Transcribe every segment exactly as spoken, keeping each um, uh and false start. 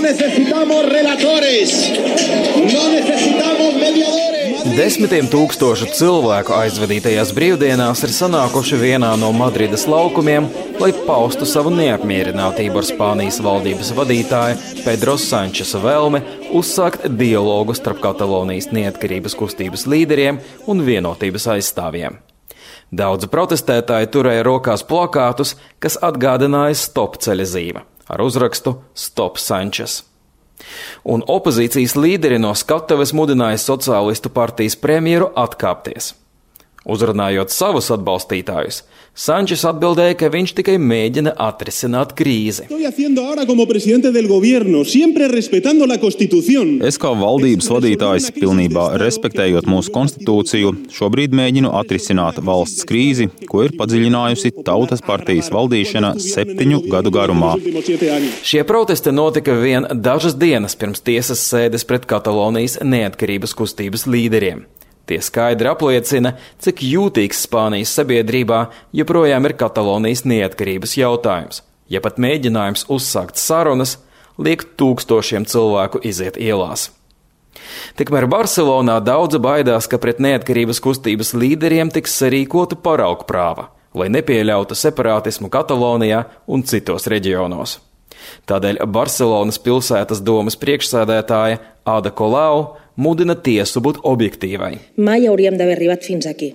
No necesitamos relatores, no necesitamos mediadores. Desmitiem tūkstošu cilvēku aizvadītajās brīvdienās ir sanākuši vienā no Madrides laukumiem, lai paustu savu neapmierinātību ar Spānijas valdības vadītāju Pedro Sančesa vēlmi uzsākt dialogu starp Katalonijas neatkarības kustības līderiem un vienotības aizstāvjiem. Daudzi protestētāji turēja rokās plakātus, kas atgādināja stop ceļa zīme ar uzrakstu Stop Sančes. Un opozīcijas līderi no skatuves mudināja sociālistu partijas premjeru atkāpties. Uzrunājot savus atbalstītājus, Sančes atbildēja, ka viņš tikai mēģina atrisināt krīzi. Es kā valdības vadītājs, pilnībā respektējot mūsu konstitūciju, šobrīd mēģinu atrisināt valsts krīzi, ko ir padziļinājusi Tautas partijas valdīšana septiņu gadu garumā. Šie protesti notika vien dažas dienas pirms tiesas sēdes pret Katalonijas neatkarības kustības līderiem. Tie skaidri apliecina, cik jūtīgs Spānijas sabiedrībā joprojām ir Katalonijas neatkarības jautājums, ja pat mēģinājums uzsākt sarunas liek tūkstošiem cilvēku iziet ielās. Tikmēr Barcelonā daudzi baidās, ka pret neatkarības kustības līderiem tiks sarīkota paraugprāva, lai nepieļautu separātismu Katalonijā un citos reģionos. Tādēļ Barcelonas pilsētas domes priekšsēdētāja Ada Colau mudina tiesu būt objektīvai. Mai hauríem d'haver arribat fins aquí.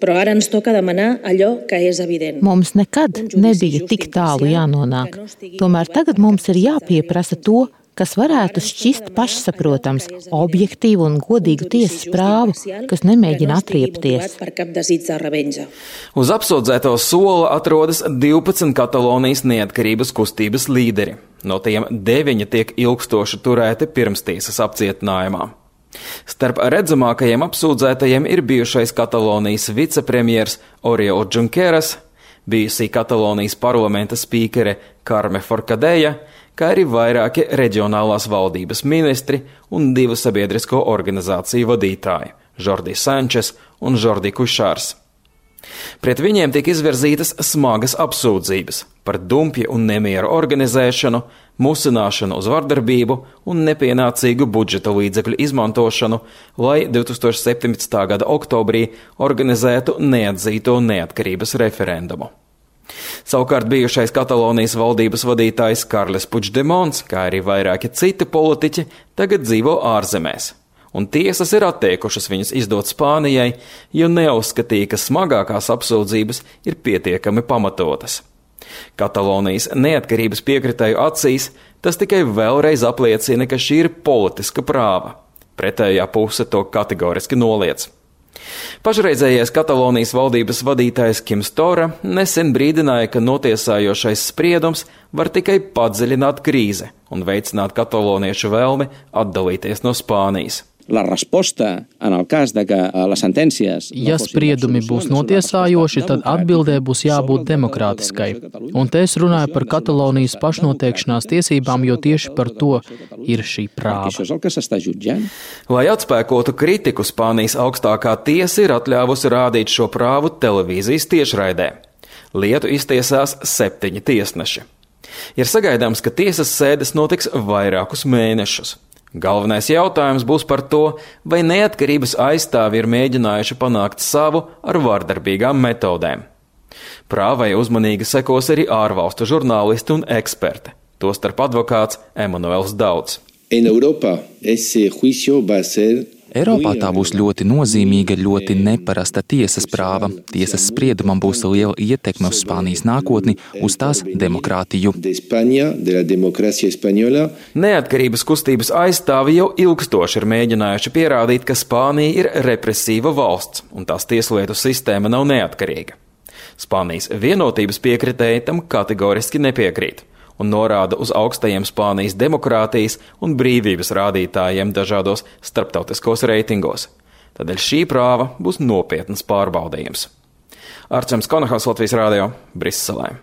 Però ara ens toca demanar allò que és evident. Mums nekad nebija tik tālu jānonāk. Tomēr tagad mums ir jāpieprasa to, kas varētu šķist pašsaprotams, objektīvu un godīgu tiesas prāvu, kas nemēģina atriepties. Uz apsūdzēto sola atrodas divpadsmit Katalonijas neatkarības kustības līderi. No tiem deviņi tiek ilgstoši turēti pirmstiesas apcietinājumā. Starp redzamākajiem apsūdzētajiem ir bijušais Katalonijas vicepremjers Oriol Junqueras, bijusī Katalonijas parlamenta spīkere Carme Forcadella, kā arī vairāki reģionālās valdības ministri un divu sabiedrisko organizāciju vadītāji – Jordi Sančes un Jordi Cuixars. Pret viņiem tika izvirzītas smagas apsūdzības par dumpju un nemieru organizēšanu, musināšanu uz vardarbību un nepienācīgu budžeta līdzekļu izmantošanu, lai divtūkstoš septiņpadsmitā gada oktobrī organizētu neatzīto neatkarības referendumu. Savukārt bijušais Katalonijas valdības vadītājs Carles Puigdemons, kā arī vairāki citi politiķi, tagad dzīvo ārzemēs. Un tiesas ir atteikušas viņus izdot Spānijai, jo neuzskatīja, ka smagākās apsūdzības ir pietiekami pamatotas. Katalonijas neatkarības piekritēju acīs tas tikai vēlreiz apliecina, ka šī ir politiska prāva. Pretējā puse to kategoriski noliedz. Pašreizējais Katalonijas valdības vadītājs Kims Tora nesen brīdināja, ka notiesājošais spriedums var tikai padziļināt krīzi un veicināt kataloniešu vēlmi atdalīties no Spānijas. La resposta en el cas de que les sentències... Ja spriedumi būs notiesājoši, tad atbildē būs jābūt demokrātiskai. Un te es runāju par Katalonijas pašnoteikšanās tiesībām, jo tieši par to ir šī prāva. Lai atspēkotu kritiku, Spānijas augstākā tiesa ir atļāvusi rādīt šo prāvu televīzijas tiešraidē. Lietu iztiesās septiņi tiesneši. Ir sagaidāms, ka tiesas sēdes notiks vairākus mēnešus. Galvenais jautājums būs par to, vai neatkarības aizstāvi ir mēģinājuši panākt savu ar vardarbīgām metodēm. Prāvai uzmanīgi sekos arī ārvalstu žurnālisti un eksperti, tostarp advokāts Emanuels Daudz. En Europa ese juicio va a ser Eiropā tā būs ļoti nozīmīga, ļoti neparasta tiesas prāva. Tiesas spriedumam būs liela ietekme uz Spānijas nākotni, uz tās demokrātiju. Neatkarības kustības aizstāvi jau ilgstoši ir mēģinājuši pierādīt, ka Spānija ir represīva valsts un tās tieslietu sistēma nav neatkarīga. Spānijas vienotības piekritēji tam kategoriski nepiekrīt un norāda uz augstajiem Spānijas demokrātijas un brīvības rādītājiem dažādos starptautiskos reitingos. Tādēļ šī prāva būs nopietnas pārbaudījums. Arčuns Konahaus, Latvijas radio, Briselē.